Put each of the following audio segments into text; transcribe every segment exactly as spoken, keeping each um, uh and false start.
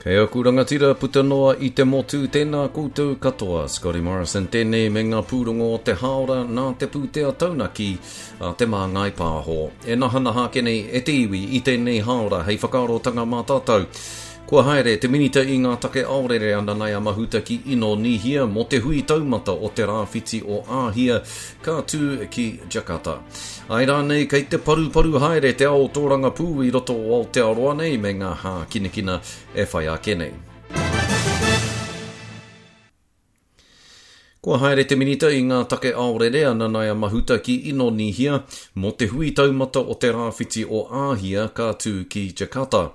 Kei aku rangatira puta noa i te motu, tēnā koutou katoa. Scotty Morrison tēnei me ngā pūrongo o te hāora nā te pūtea taunaki a Te Māngai Pāho. E nahanaha ake nei e te iwi i tēnei hāora hei whakaarotanga mā tātou. Kua haere te Minita i ngā take aorere a Nanaia Mahuta ki Inonīhia mō te hui taumata o te Rāwhiti o Āhia ka tū ki Jakarta. Āe rānei kei te paruparu haere te ao tōrangapū i roto o Aotearoa nei me ngā hākinakina e whai ake nei. Kua haere te Minita i ngā take aorere a Nanaia Mahuta ki Inonīhia mō te hui taumata o te Rāwhiti o Āhia ka tū ki Jakarta.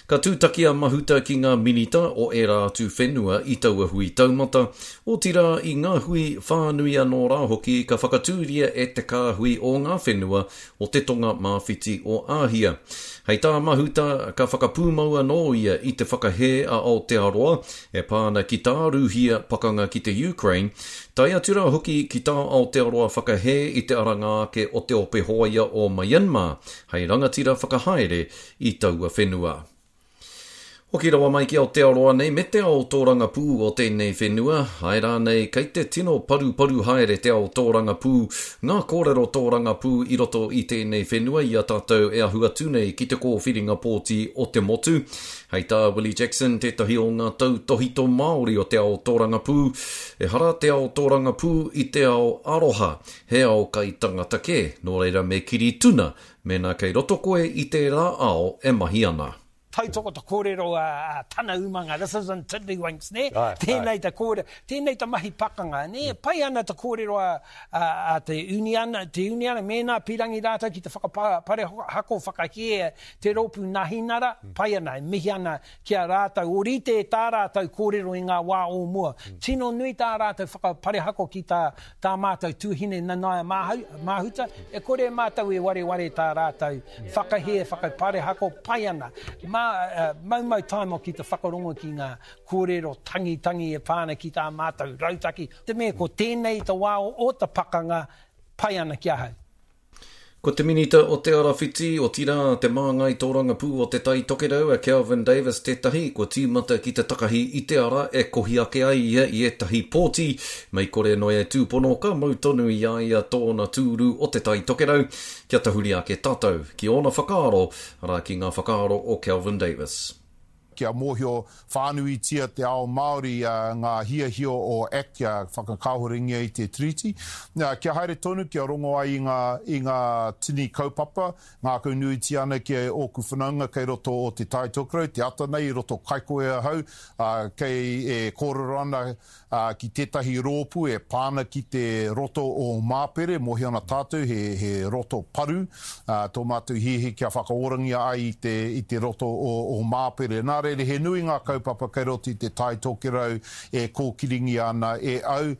Ka tūtaki a Mahuta ki ngā minita o ērā atu whenua i taua hui taumata, otirā i ngā hui whānui anō rā hoki ka whakatūria e te kāhui o ngā whenua o te tonga mā-whiti o Āhia. Hei tā Mahuta, ka whakapūmau anō ia i te whakahē a Aotearoa e pā ana ki tā Rūhia pakanga ki te Ukraine, tae atu rā hoki ki tā Aotearoa whakahē i te aranga ake o te ope hōia o Myanmar hei rangatira whakahaere i taua whenua. Hoki rawa mai ki Aotearoa nei me te ao tōrangapū o tēnei whenua, āe rānei kei te tino paruparu haere te ao tōrangapū, ngā kōrero tōrangapū i roto i tēnei whenua i a tātou e ahu atu nei ki te kōwhiringa pōti o te motu. Hei tā Willie Jackson, tētahi o ngā tautōhito Māori o te ao tōrangapū, ehara te ao tōrangapū i te ao aroha, he ao kai tangata kē, nō reira me kiri tuna mēnā kei roto koe i tērā ao e mahi ana. Tautoko te kōrero a tana umanga, this isn't tiddlywinks, nē? Tēnei te kōrero, tēnei te mahi pakanga, nē? Pai ana te kōrero a, a, a te uniana, te uniana, mēnā pīrangi rātou ki te whakaparehako whakahē te rōpū Nahinara, pai ana, e mihi ana ki a rātou, ōrite tā rātou kōrero i ngā wā o mua. Tino nui tā rātou whakaparehako ki tā, tā mātou tuahine Nanaia Mahuta, e kore mātou e wareware tā rātou whakahē, whakaparehako, pai ana. Mā, maumau taima ki te whakarongo ki ngā kōrero tangitangi e pā ana ki tā mātou rautaki. Te mea ko tēnei te wā o te pakanga, pai ana ki ahau. Ko te Minita o Te Arawhiti, otirā te māngai tōrangapū o Te Tai Tokerau a Kelvin Davis tētahi, kua tīmata ki te takahi i te ara e kohi ake ai ia i ētahi pōti, mei kore noa e tūpono ka mau tonu i a ia tōna tūru o Te Tai Tokerau, kia tahuri ake tātou ki ōna whakaaro, arā ki ngā whakaaro o Kelvin Davis. Kia mōhio whānuitia te ao Māori ngā hiahia o Act kia whakakāhorengia i te Tiriti. Kia haere tonu, kia rongo ai i ngā, i ngā tini kaupapa, ngākaunuitia ana ki ōku whanaunga kei roto o Te Tai Tokerau, te ata nei i roto Kaikohe ahau, kei e kōrero ana ki tētahi rōpū e pā ana ki te roto o Māpere, mōhio ana tātou he, he roto paru, tō mātou hiahia kia whakaorangia ai i te, i te roto o, o Māpere. Nā reira, he nui ngā kaupapa kei roto i te Tai Tokerau e kōkiringia ana e au.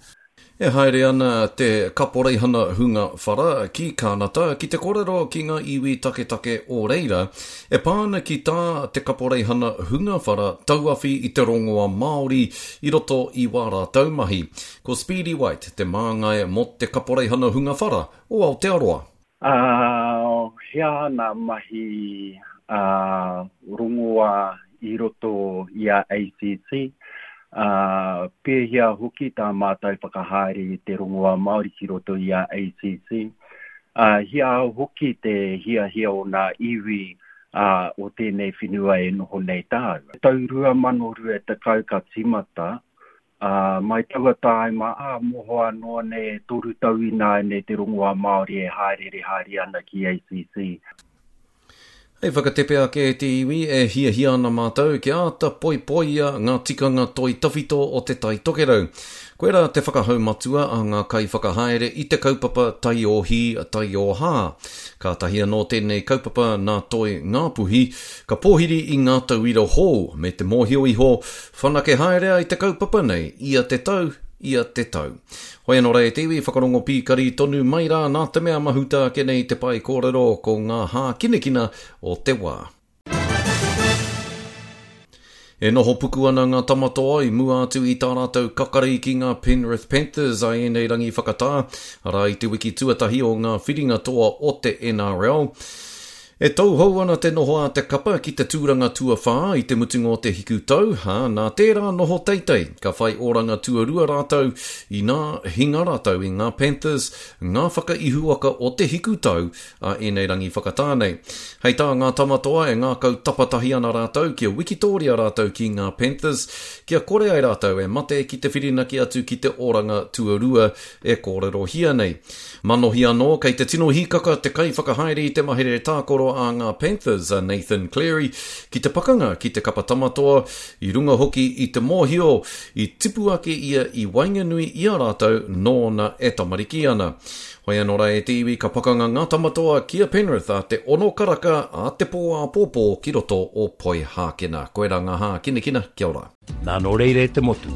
E haere ana te kaporeihana hunga whara ki Kānata ki te kōrero ki ngā iwi taketake o reira, e pā ana ki tā te kaporeihana hunga whara tauawhi i te rongoa Māori i roto i wā rātou mahi. Ko Speedy White te māngai mō te kaporeihana hunga whara o Aotearoa. Uh, he aha ngā mahi uh, rongoa i roto i a A C C, uh, pēhea hoki tā mātou whakahaere i te rongoa Māori ki roto i a A C C. Uh, hia hoki te hiahia o ngā iwi uh, o tēnei whenua e noho nei tāua. Tau rua mano rua tekau ka tīmata, uh, mai taua tāima, ā, mohoa noa nei e toru tau ināianei te rongoa Māori e haerere haere ana ki A C C. Hei whakatepe ake e te iwi e hiahia ana mātou kia āta poipoia ngā tikanga toi tawhito o Te Tai Tokerau. Koirā te whakahau matua a ngā kaiwhakahaere i te kaupapa Taiohi Taiohā. Kātahi anō tēnei kaupapa nā Toi Ngāpuhi, ka pōhiri i ngā tauira hou me te mōhio iho, whanake haere ai te kaupapa nei ia te tau, ia te tau. Hoi anō rā e te iwi, whakarongo pīkari tonu mai rā nā te mea mahuta ake nei te pae kōrero ko ngā hākinakina o te wā. E noho puku ana ngā tamatoa i mua atu i tā rātou kakari ki ngā Penrith Panthers a ēnei rangi whakatā, arā i te wiki tuatahi o ngā whiringa toa o te N R L. E tauhou ana te noho a te kapa ki te tūranga tuawhā i te mutunga o te hiku tau, ā, nā tērā noho teitei, ka whai oranga tuarua rātou, inā hinga rātou i ngā Panthers, ngā whakaihuwaka o te hiku tau a ēnei rangi whakatā nei. Hei tā ngā Tamatoa e ngākau tapatahi ana rātou kia wikitōria rātou ki ngā Panthers, kia kore ai rātou e mate ki te whirinaki atu ki te oranga tuarua e kōrerohia nei. Manohi anō, kei te tino hīkaka te kaiwhakahaere i te mahere tākaro a ngā Panthers, a Nathan Cleary, ki te pakanga ki te kapa Tamatoa, i runga hoki i te mōhio, i tipu ake ia i waenganui i a rātou nōna e tamariki ana. Hoi anō rā e te iwi, ka pakanga ngā Tamatoa ki a Penrith a te ono karaka a te pō āpōpō ki roto o Poihākena. Koirā ngā hākinakina, kia ora. Nā nō reira e te motu,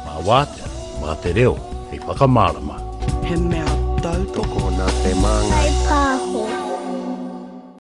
mā wātea, mā te reo hei whakamārama. He mea tautoko. Tokona te māngai. Hei pā.